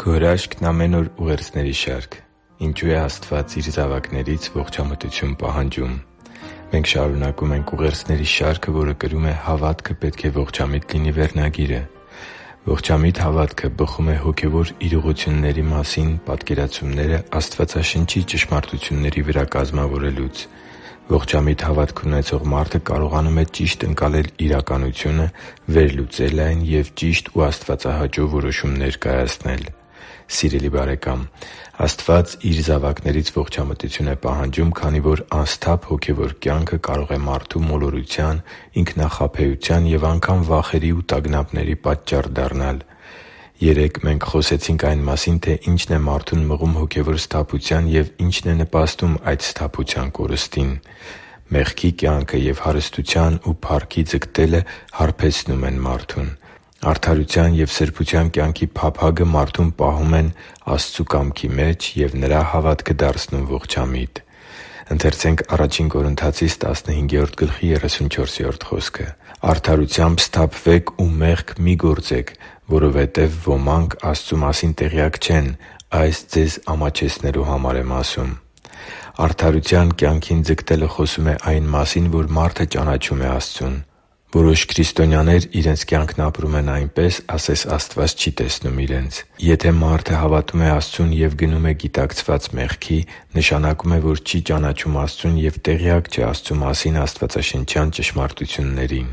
Քո հրաշքն ամեն օր ուղերձների շարք։ Ինչու է Աստված Իր զավակներից ողջամտություն պահանջում։ Մենք շարունակում ենք ուղերձների շարքը, որը կրում է «Հավատքը պետք է ողջամիտ լինի» վերնագիրը։ Ողջամիտ հավատքը բխում է հոգևոր իրողությունների մասին պատկերացումները Աստվածաշնչի ճշմարտությունների վրա կազմավորելուց։ Ողջամիտ հավատք ունեցող մարդը կարողանում է ճիշտ ընկալել իրականությունը, վերլուծել այն և ճիշտ ու աստվածահաճո որոշումներ կայացնել։ Սիրելի՛ բարեկամ, Աստված Իր զավակներից ողջամտություն է պահանջում, քանի որ անսթափ հոգևոր կյանքը կարող է մարդու մոլորության, ինքնախաբեության և անգամ վախերի ու տագնապների պատճառ դառնալ։ Երեկ մենք խոսեցինք այն մասին, թե ինչն է մարդուն մղում հոգևոր սթափության և ինչն է նպաստում այդ սթափության կորստին։ Մեղքի կյանքը և հարստության ու փառքի ձգտելը հարբեցնում են մարդուն։ Արդարության և սրբության կյանքի փափագը մարդուն պահում են Աստծու կամքի մեջ և նրա հավատքը դարձնում ողջամիտ։ «Արդարությամբ սթափվեք ու մեղք մի գործեք, որովհետև ոմանք Աստծու մասին տեղյակ չեն. այս ձեզ ամաչեցնելու համար եմ ասում» (Ա Կորնթացիս 15:34)։ Արդարության կյանքին ձգտելը խոսում է այն մասին, որ մարդը ճանաչում է Աստծուն։ Որոշ քրիստոնյաներ իրենց կյանքն ապրում են այնպես, ասես Աստված չի տեսնում իրենց։ Եթե մարդը հավատում է Աստծուն և գնում է գիտակցված մեղքի, նշանակում է, որ չի ճանաչում Աստծուն և տեղյակ չէ Աստծու մասին աստվածաշնչյան ճշմարտություններին։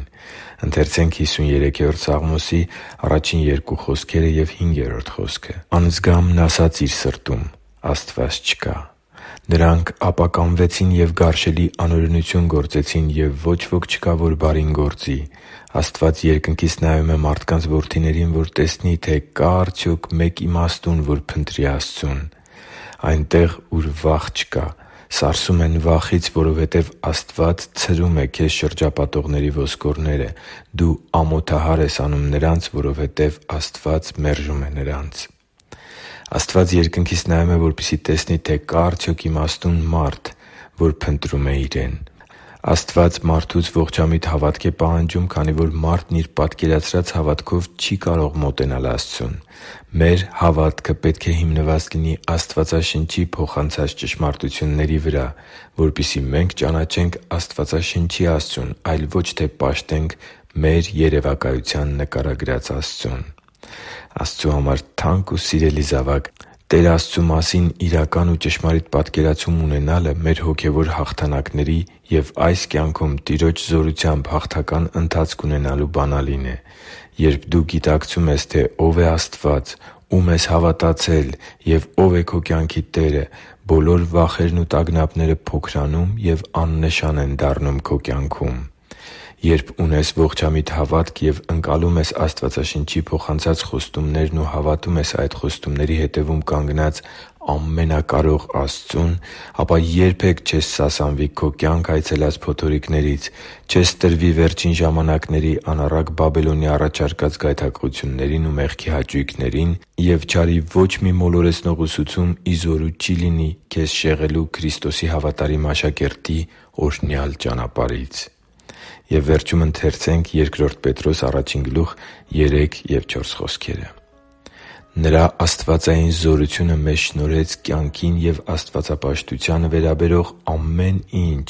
«Անձգամն ասաց իր սրտում. «Աստված չկա»։ Նրանք ապականվեցին և գարշելի անօրենություն գործեցին, և ոչ ոք չկա, որ բարին գործի։ Աստված երկնքից նայում է մարդկանց որդիներին, որ տեսնի, թե կա՞ արդյոք մեկ իմաստուն, որ փնտրի Աստծուն։ Այնտեղ, ուր վախ չկա, սարսում են վախից, որովհետև Աստված ցրում է քեզ շրջապատողների ոսկորները։ Դու ամոթահար ես անում նրանց, որովհետև Աստված մերժում է նրանց» (Սաղմոս 33․1-3)։ Աստված երկնքից նայում է, որպեսզի տեսնի, թե կա՞ արդյոք իմաստուն մարդ, որ փնտրում է Իրեն։ Աստված մարդուց ողջամիտ հավատք է պահանջում, քանի որ մարդն իր պատկերացրած հավատքով չի կարող մոտենալ Աստծուն։ Մեր հավատքը պետք է հիմնված լինի Աստվածաշնչի փոխանցած ճշմարտությունների վրա, որպեսզի մենք ճանաչենք Աստվածաշնչի Աստծուն, այլ ոչ թե պաշտենք մեր երևակայության նկարագրած Աստծուն։ Աստծու համար թանկ ու սիրելի՛ զավակ, Տեր Աստծու մասին իրական ու ճշմարիտ պատկերացում ունենալը մեր հոգևոր հաղթանակների և այս կյանքում Տիրոջ զորությամբ հաղթական ընթացք ունենալու բանալին է։ Երբ դու գիտակցում ես, թե Ով է Աստված, Ում ես հավատացել և Ով է քո կյանքի Տերը, բոլոր վախերն ու տագնապները փոքրանում և աննշան են դառնում քո կյանքում։ Երբ ունես ողջամիտ հավատք և ընկալում ես Աստվածաշնչի փոխանցած խոստումներն ու հավատում ես այդ խոստումների հետևում կանգնած ամենակարող Աստծուն, ապա երբե՛ք չես սասանվի քո կյանք այցելած փոթորիկներից, չես տրվի վերջին ժամանակների անառակ Բաբելոնի առաջարկած գայթակղություններին ու մեղքի հաճույքներին և չարի ոչ մի մոլորեցնող ուսուցում ի զորու չի լինի քեզ շեղելու Քրիստոսի հավատարիմ աշակերտի օրհնյալ ճանապարհից։ «Նրա աստվածային զորությունը մեզ շնորհեց կյանքին և աստվածապաշտությանը վերաբերող ամեն ինչ,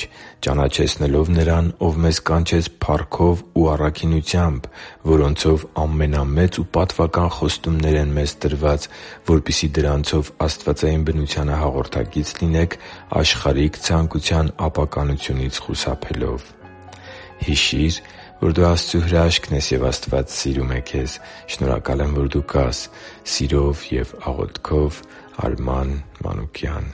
ճանաչեցնելով Նրան, Ով մեզ կանչեց փառքով ու առաքինությամբ, որոնցով ամենամեծ ու պատվական խոստումներ են մեզ տրված, որպեսզի դրանցով աստվածային բնությանը հաղորդակից լինեք աշխարհիկ ցանկության ապականությունից խուսափելով» (Բ Պետրոս 1․3-4)։ Հիշի՛ր, որ դու Աստծո հրաշքն ես, և Աստված սիրում է քեզ։ Շնորհակալ եմ, որ դու կա՛ս։ Սիրով և աղոթքով, Արման Մանուկյան։